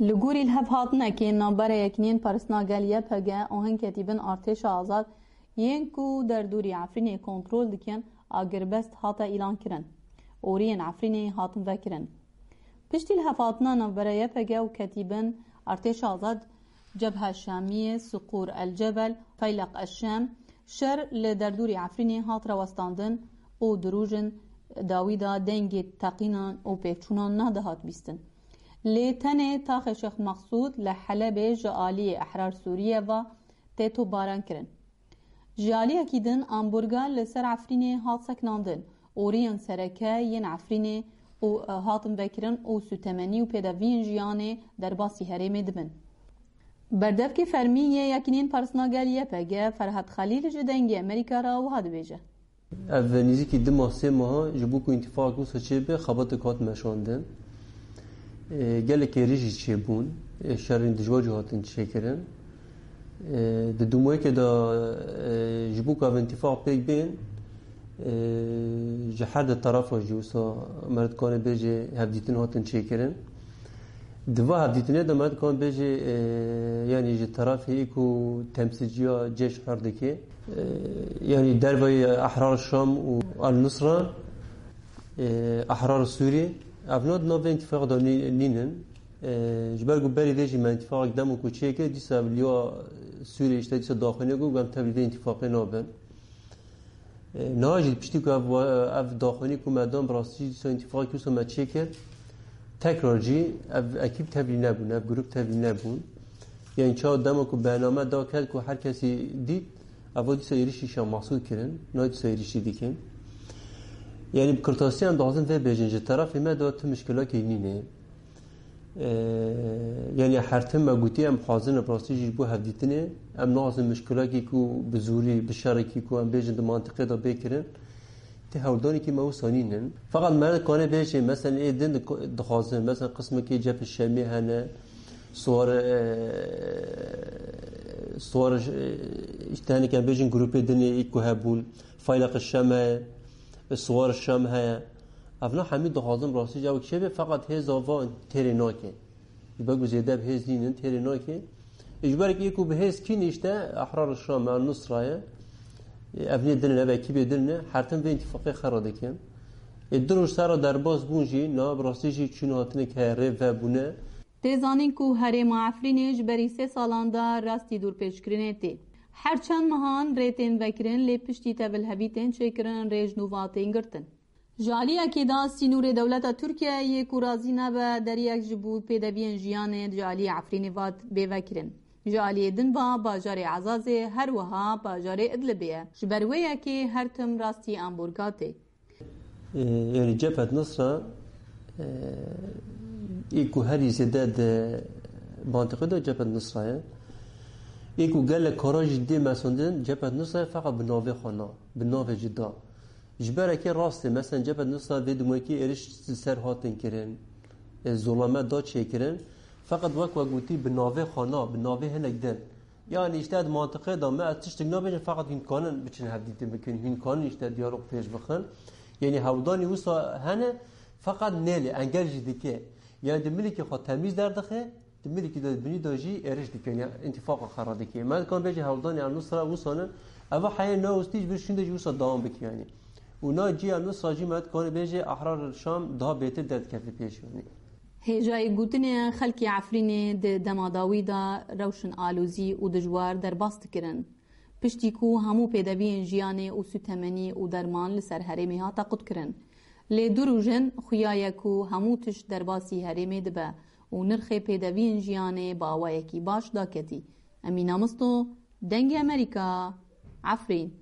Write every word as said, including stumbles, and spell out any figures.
Li gorî lihevhatinekê navbera Yekîneyên Parastina Gel Y P G û hin ketîbin artêşa azad yên ku derdorî Efrînê kontrol dikin, agirbest hate îlankirin. Oriyên Efrînê hatin vekirin. Piştî lihevhatina navbera Y P G û ketîbin artêşa azad Cebhe Şamiyê, Siqûr El Cebel, Feyleq El Şem, şer li derdorî Efrînê hat rawestandin û di rojên dawî de dengê teqînan û pêvçûnan nedihat bîstin. Lê tenê taxê Şêx Mexsûd li Helebê ji aliyê Ehrar Sûriye ve tê topbaran kirin. Ji aliyekî din amborga li ser Efrînê hat sekinandin. Oriyên sereke yên Efrînê û, e, hatin vekirin û sûtemenî û pêdeviyên jiyanê derbasî herêmê dibin. Berdevkê fermî yê Yekîneyên Parastina Gel Y P G Ferhat Xelîl ji Dengê Amerîka re wiha dibêje. Ev nêzîkî du mah, sê meha ji bo ku întîfaqek wisa çêbe, xebatek hat meşandin. E, gelek êrîş jî çêbûn. E, şerên dijwar jî hatin çêkirin. E, di dûmayekê de, e, ji bo ku ev întîfaq pêk bên, e, ji her di terefa jî wisa me dikane bêje hevdîtin hatin çêkirin. Di va hevdîtinê de me dikane bêje, e, yanî ji terefê ku temsîlciya Ceyş Hurdikê, e, yanî derveyî Ehrar Şam û El Nusra, e, Ehrar Sûrî, ev na di nav vê întîfaqê de nî-, nînin. E, ji ber ku berî vê jî me întîfaqek demo ku çêkir, dîsa ev liya Sûriyê işte dîsa daxuyanî ku em tevlî vê întîfaqê nabin. E, niha jî piştî ku ev, ev daxuyanî ku me dan, bi rastî jî dîsa întîfaqek wisa me çêkir, tekrar jî ev ekîb tevlî nebûn, ev grûp tevlî nebûn. Yanî çawa dema ku bername da ket ku her kesî dît, eva dîsa êrîşî Şah Masûd kirin, niha dîsa êrîşî dikin. Yanî bi kurtasî em dixwazin vê bêjin, ji terefê me de tu mişkilakê nîne. Ee, yanî her tim me gotî em xwazin, bi rastî jî ji bo hevdîtinê, em naxwazin mişkilekî ku bi zorî, bi şerekî ku em bêjin di mantiqê de bê kirin, tê hewldanekî me wisa nînin. Feqet me kanê bêjê, mesela ê din di-, dixwazin, mesela qismekî Cebhe Şemê hene, Suwar, e, Suwar, e, işte hinek em bêjin grûpê din ê ku hebûn, Feyleq Şem heye, Suwar Şam heye. Evna hemî dixwazin rastî cewek çêbe, feqet hêza van têrê nake. Ji ber ku zêde bi hêz nînin, têrê nake. Ji ber ku bi hêz kî nîşte, Ehrar Şam, El Nusra ye. Ev nê din in, ev ekîbê din ne, her tim vê întîfaqê xera dikin. Ê du roj ser re derbas bûn jî, na bi rastî jî çûn hatinek heye, rê vebûne. Tê zanîn ku herêma Efrînê ji berî sê salan de rastî dorpêçkirinê tê. Her çend mehan rê tên vekirin, lê piştî tevilhevî tên çêkirin, rê ji nû ve tên girtin. Ji aliyekê de sînorê dewleta Tirkiyeyê yê ku razî nebe deriyek ji bo pêdeviyên jiyanê ji aliyê Efrînê ve bê vekirin. Ji aliyê din ve bajarê Ezazê, her wiha bajarê Idlibê ye. Ji ber wê yekê her tim rastî amborga tê. Ee, yanî Cephet Nusra, ee, ê ku herî zêde di mantiqê de Cephet Nusra ye. Ê ku gelek kara jî dê mesandin, Cephet Nusra ye, feqet bi navê xwe na, bi navê cuda. Ji berekê rastê, mesela Cephet Nusra vê dumekî êriş li ser hatin kirin, e, zolame da çêkirin. Feqet wek we gotî bi navê xwe na, bi navê hinek din. Yanî işte di mantiqê de me ez tiştek nabêjim, feqet hûn kanin biçin hevdîtin bikin, hûn kanin işte diyalog pêş bixin. Yanî hewldanî wisa hene, feqet nêlê engel jî dike. Yanî di milîkê xwe temîz derdixe, di milîkî de binî de jî êriş dike, yanî întîfaqa xera dike. Me dikan bêje hewldanî El Nusra wisa ne, eva heye newestî ji vir şûnde jî wisa dewam bike yanî. Û na cî El Nusra jî me dikanê bêje Ehrar Şam daha bêtir derdikeve pêş yanî. Hêjayî gotinê ye, xelkê Efrînê di dema dawî de rewşên alozî û dijwar derbas dikirin. Piştî ku hemû pêdeviyên jiyanê û sûtemenî û derman li ser herêmê hate qutkirin. Lê du roj in xuya ye ku hemû tişt derbasî herêmê dibe û nirxê pêdeviyên jiyanê bi awayekî baş daketî. Emîna Misto, Dengê Amerîka, Efrîn.